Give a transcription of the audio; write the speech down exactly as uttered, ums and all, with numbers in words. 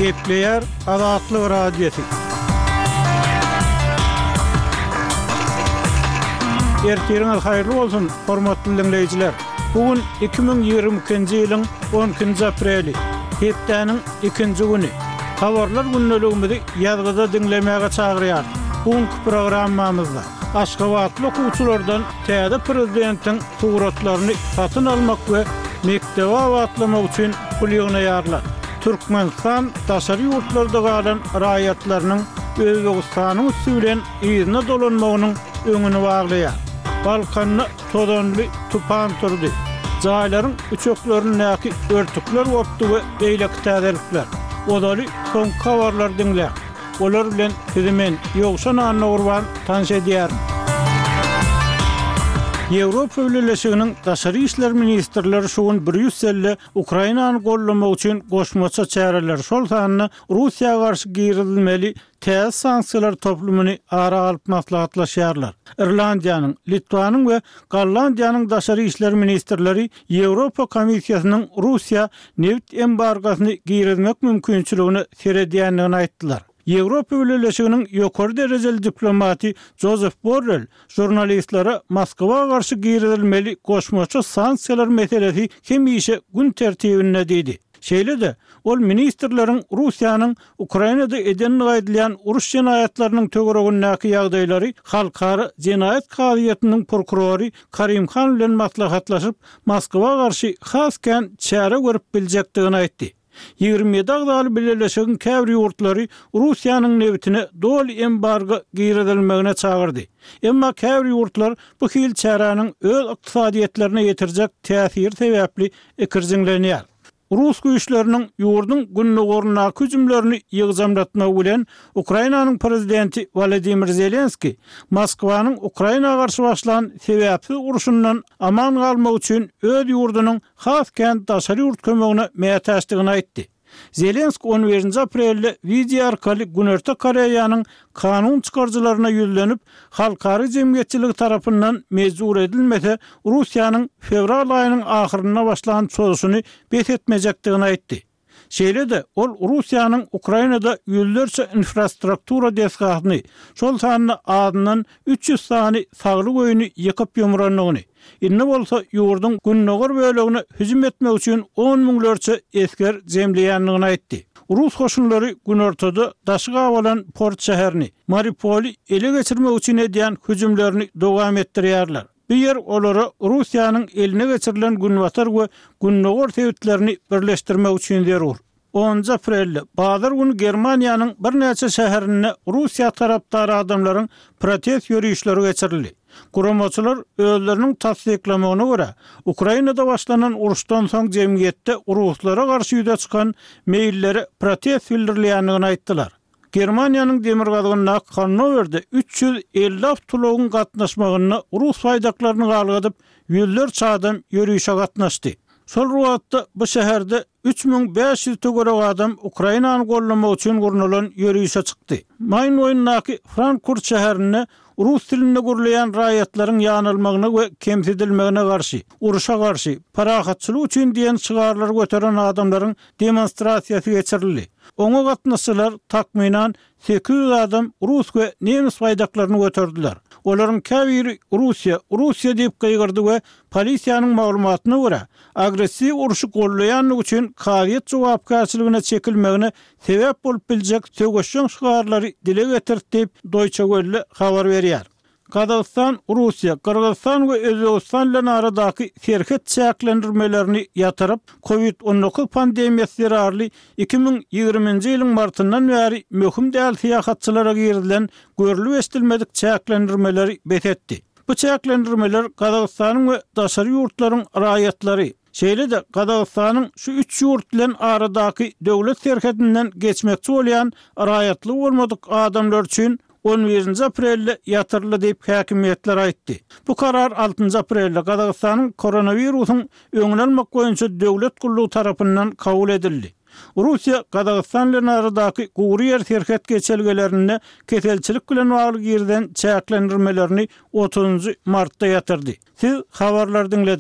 Gepleýär Azatlyk Radiosy. Ertiriňiz haýyrly bolsun, hormatly diňleýjiler! Bu gün iki müň ýigrimi ikinji ýylyň on ikinji apreli, hepdäniň ikinji güni. Habarlar gündeligimizi ýazgyda diňlemäge çagyrýarys. Bu günki programmamyzda aşgabatly okuwçylardan täze prezidentiň suratlaryny satyn almak we mekdebe abatlamak üçin pul ýygnaýarlar. Türkmenistan daşary ýurtlarda galan raýatlarynyň Özbegistanyň üsti bilen yzyna dolanmagynyň öňüni baglaýar. Balkanda tozanly tupan turdy. Jaýlaryň üçeklerindäki örtükler gopdy we beýleki täzelikler. Ozaly soňky habarlary diňläň. Olar bilen sizi men, Ýowşan Annagurban, tanyş edýärin. Ýewropa Bileleşiginiň daşary işler ministrleri şu gün Brýusselde Ukrainany goldamak üçin goşmaça çäreler, şol sanda Russiýa garşy girizilmeli täze sanksiýalar toplumyny ara alyp maslahatlaşýarlar. Irlandiýanyň, Litwanyň we Gollandiýanyň daşary işler ministrleri Ýewropa Komissiýasynyň Russiýa nebit embargosyny girizmek mümkinçiligine seredýändigini aýtdylar. Ýewropa Bileleşiginiň ýokary derejeli diplomaty Jozef Borrell žurnalistlere Moskwa garşy girizilmeli goşmaça sanksiýalar meselesi hemişe gün tertibinde diýdi. Şeýle-de, ol ministrleriň Russiýanyň Ukrainada edendigi aýdylýan uruş jenaýatlarynyň töweregindäki ýagdaýlary Halkara jenaýat kazyýetiniň prokurory Karim Han bilen maslahatlaşyp, Moskwa garşy has kän çäre görüp biljekdigini aýtdy. Ýigrimi ýedi agzaly bileleşigiň käbir ýurtlary Russiýanyň nebitine doly embargo girizilmegine çagyrdy. Emma käbir ýurtlar bu hili çäräniň öz ykdysadyýetlerine ýetirjek täsiri sebäpli ikirjiňlenýär. Rus güýçleriniň ýurduň gündogaryndaky hüjümlerini ýygjamlatmagy bilen Ukrainanyň prezidenti Wolodymyr Zelenskiý Moskwanyň Ukraina garşy başlan sebäpsiz urşundan aman galmak üçin öz ýurdunyň has kän daşary ýurt kömegine mätäçdigini aýtdy. Zelenskiý on birinji aprelde wideo arkaly Günorta Koreýanyň kanun çykaryjylaryna ýüzlenip, halkara jemgyýetçiligi tarapyndan mejbur edilmese, Russiýanyň fewral aýynyň ahyrynda başlan çozuşyny bes etmejekdigini aýtdy. Şeýle-de, ol Russiýanyň Ukrainada ýüzlerçe infrastruktura desgasyny, şol sanda azyndan üç ýüz sany saglyk öýüni ýykyp-ýumrandygyny, indi bolsa ýurduň gündogar bölegine hüjüm etmek üçin on müňlerçe esger jemleýändigini aýtdy. Rus goşunlary günortada daşy gabalan port şäherini, Mariupoly ele geçirmek üçin edýän hüjümlerini dowam etdirýärler. Bu ýer olara Russiýanyň eline geçirilen günbatar we gündogar sebitlerini birleşdirmek üçin zerur. Onunjy aprelde, bazar güni Germaniýanyň birnäçe şäherinde Russiýa tarapdar adamlaryň protest ýörişleri geçirildi. Guramaçylar özleriniň tassyklamagyna görä, Ukrainada başlanan uruşdan soň jemgyýetde ruslara garşy ýüze çykan meýillere protest bildirilýändigini aýtdylar. Germaniýanyň demirgazygyndaky Hannowerde üç ýüz elli awtoulagyň gatnaşmagynda rus baýdaklaryny galgadyp, ýüzlerçe adam ýörişe gatnaşdy. Şol bir wagtda bu şäherde üç müň bäş ýüz töweregi adam Ukrainany goldamak üçin gurnalan ýörişe çykdy. Maýn boýundaky Frankfurt şäherinde rus dilinde gürleýän raýatlaryň ýanalmagyna we kemsidilmegine garşy, urşa garşy, parahatçylyk üçin diýen şygarlary göteren adamlaryň demonstrasiýasy geçirildi. Oňa gatnaşyjylar takmynan sekiz ýüz adam rus we nemes baýdaklaryny göterdiler. Olaryň käbiri Russiýa, Russiýa diýip gygyrdy we polisiýanyň maglumatyna görä, agressiw urşy goldaýandygy üçin kazyýet jogapkärçiligine çekilmegine sebäp bolup biljek söweşjeň şygarlary dile getirdi diýip, Deutsche Welle habar berýär. Gazagystan, Russiýa, Gyrgyzystan we Özbegistan bilen aradaky serhet çäklendirmelerini ýatyryp, Covid on dokuz pandemiýasy zerarly iki müň ýigriminji ýylyň martyndan bäri möhüm däl syýahatçylara girizilen görlüp-eşidilmedik çäklendirmeleri bes etdi. Bu çäklendirmeler Gazagystanyň we daşary ýurtlaryň raýatlary, şeýle-de Gazagystanyň şu üç ýurt bilen aradaky döwlet serhedinden geçmekçi bolýan raýatlygy bolmadyk adamlar üçin on birinji aprelde ýatyryldy diýip häkimiýetler aýtdy. Bu karar altynjy aprelde Gazagystanyň koronawirusyň öňüni almak boýunça döwlet gullugy tarapyndan kabul edildi. Russiýa Gazagystan bilen aradaky gury ýer serhet geçelgelerinde keselçilik bilen bagly girizen çäklendirmelerini otuzynjy martda ýatyrdy. Siz habarlary diňlediňiz.